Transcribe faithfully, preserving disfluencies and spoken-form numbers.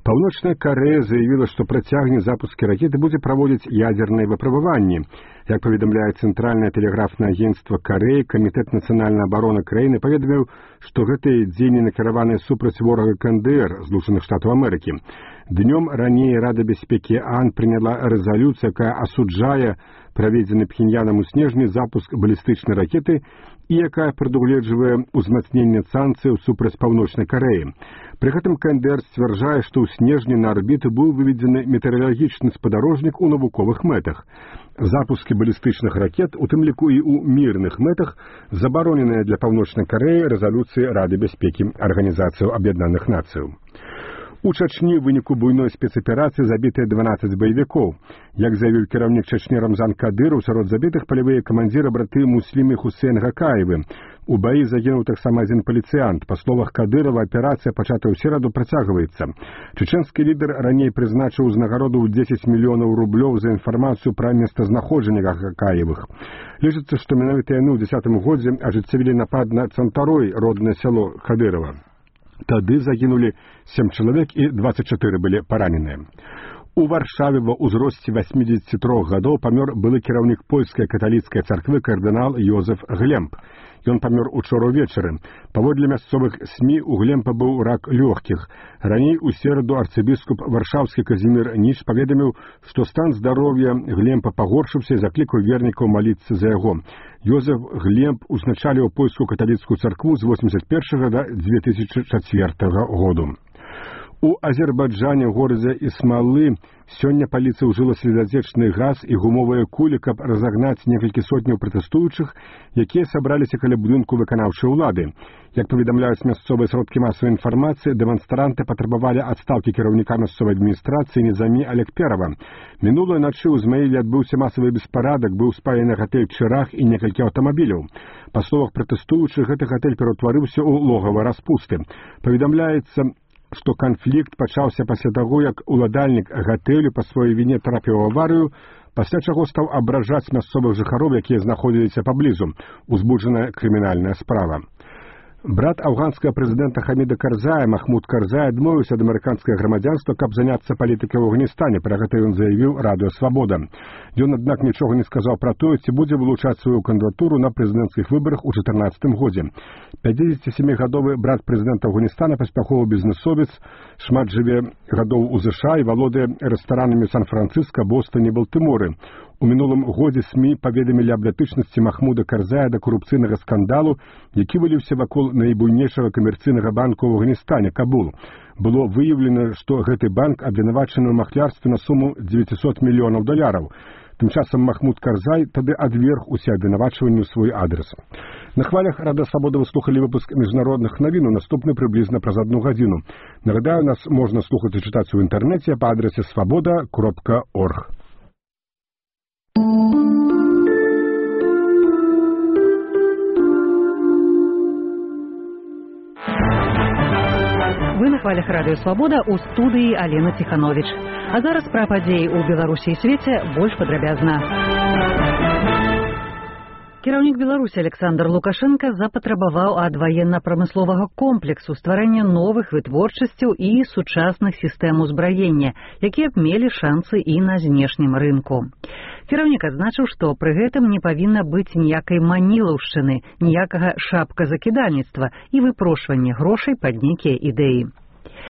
Паўночная Карэя заявіла, што працягне запускі ракеты будзе праводзіць ядзерныя выпрабаванні. Як паведамляе Цэнтральнае тэлеграфнае агенцтва Карэі, Камітэт нацыянальнай абароны краіны паведаміў, што гэтыя дзеянні накіраваныя супраць ворага КНДР, Злучаных Штатаў Амерыкі. Днём раней Рада бяспекі ААН прыняла рэзалюцыю, якая асуджае праведзены Пхеньянам у снежні запуск балістычнай ракеты і якая прадугледжвае ўзмацненне санкцыяў супраць Паўночнай Карэі. Пры гэтым КНДР сцвярджае, што ў снежні на арбіту быў выведзены метэаралагічны спадарожнік у навуковых мэтах. Запускі балістычных ракет, у тым ліку і ў мірных мэтах, забароненыя для Паўночнай Карэі рэзалюцыі Рады бяспекі Арганізацыі Аб'яднаных Нацыяў. У Чачні ў выніку буйной спецаперацыі забітыя дванаццаць баевікоў. Як заявіў кіраўнік Чачні Рамзан Кадыраў, сярод забітых палявыя камандзіры браты Муслім і Хусейн Гакаевы. У баі загінуў таксама адзін паліцыянт. Па словах Кадырава, аперацыя, пачатая ў сераду, працягваецца. Чачэнскі лідар раней прызначыў узнагароду ў дзесяць мільёнаў рублёў за інфармацыю пра месцазнаходжанне Гакаевых. Лічыцца, што менавіта яны ў дзесятым годзе ажыццявілі напад на Цантарой, роднае сяло Кадырава. Тады загінулі сем чалавек і дваццаць чатыры былі параненыя. У Варшаве ва ўзросце васьмідзесяці трох гадоў памёр былы кіраўнік польскай каталіцкай царквы кардынал Йозеф Глемб. Ён памёр учора ўвечары. Паводле мясцовых СМІ у Глемба быў рак лёгкіх. Раней у сераду арцыбіскуп варшаўскі Казімір Ніч паведаміў, што стан здароўя Глемба пагоршыўся і заклікаў вернікаў маліцца за яго. Йозеф Глемб узначаліў польскую каталіцкую царкву з восемьдесят першага да две тысячи чацвёртага году. У Азербайджане, горадзе Ісмалы, сёння паліцыя ўжыла слезатечны газ і гумовыя кулі, каб разагнаць некалькі сотняў пратэстуючых, якія сабраліся каля будынку выканаўчай улады. Як паведамляюць мясцовыя сродкі масавай інфармацыі, дэманстранты патрабавалі адстаўкі кіраўніка мясцовай адміністрацыі Нізамі Алекперава. Мінулай начы ў Ізмаіле адбыўся масавы беспарадак, быў спалены гатэль Чырах і некалькі аўтамабіляў. Па словах пратэстуючых, гэты гатэль пераўтварыўся ў логава распусты. Паведамляецца, што канфлікт пачаўся пасля таго, як уладальнік гатэлю па сваёй віне трапіў у аварыю, пасля чаго стаў абражаць мясцовых жыхароў, якія знаходзіліся паблізу. Узбуджаная крымінальная справа. Брат афганскага прэзідэнта Хаміда Карзая, Махмуд Карзай, адмовіўся ад амерыканскага грамадзянства, каб заняцца палітыкай у Афганістане. Пра гэта ён заявіў радыё «Свабода». Ён, аднак, нічога не сказаў пра тое, ці будзе вылучаць сваю кандыдатуру на прэзідэнцкіх выбарах у чатырнаццатым годзе. пяцідзесяцісямігадовы брат прэзідэнта Афганістана, паспяховы бізнэсовец, шмат жыве гадоў у ЗША і валодае рэстаранамі Сан-Францыска, Бостоне, Балтыморы. У мінулым годзе СМІ паведамілі аб датычнасці Махмуда Карзая да корупцыйнага скандалу, які выліўся вакол найбуйнейшага камерцыйнага банка ў Афганістане, Кабул. Было выяўлена, што гэты банк абвінавачаны ў махлярстве на суму дзевяцьсот мільёнаў даляраў. Тым часам Махмуд Карзай тады адверг усе абвінавачванні ў свой адрес. На хвалях Рада Свабода вы слухалі выпуск міжнародных навін, наступны прыблізна праз адну гадзіну. Нагадаю, нас можна слухаць і чытаць у інтэрнэце па адрасе свабода кропка орг. Вы на хвалях радыё «Свабода» у студыі Алена Ціхановіч. А зараз пра падзеі ў Беларусі і свеце больш падрабязна. Кіраўнік Беларусі Александр Лукашенко запатрабаваў ад ваенна-прамысловага комплексу стварэння новых вытворчасцяў і сучасных сістэм узбраення, якія б мелі шансы і на знешнім рынку. Кіраўнік адзначыў, што пры гэтым не павінна быць ніякай манілаўшчыны, ніякага шапказакідальніцтва і выпрошвання грошай пад нейкія ідэі.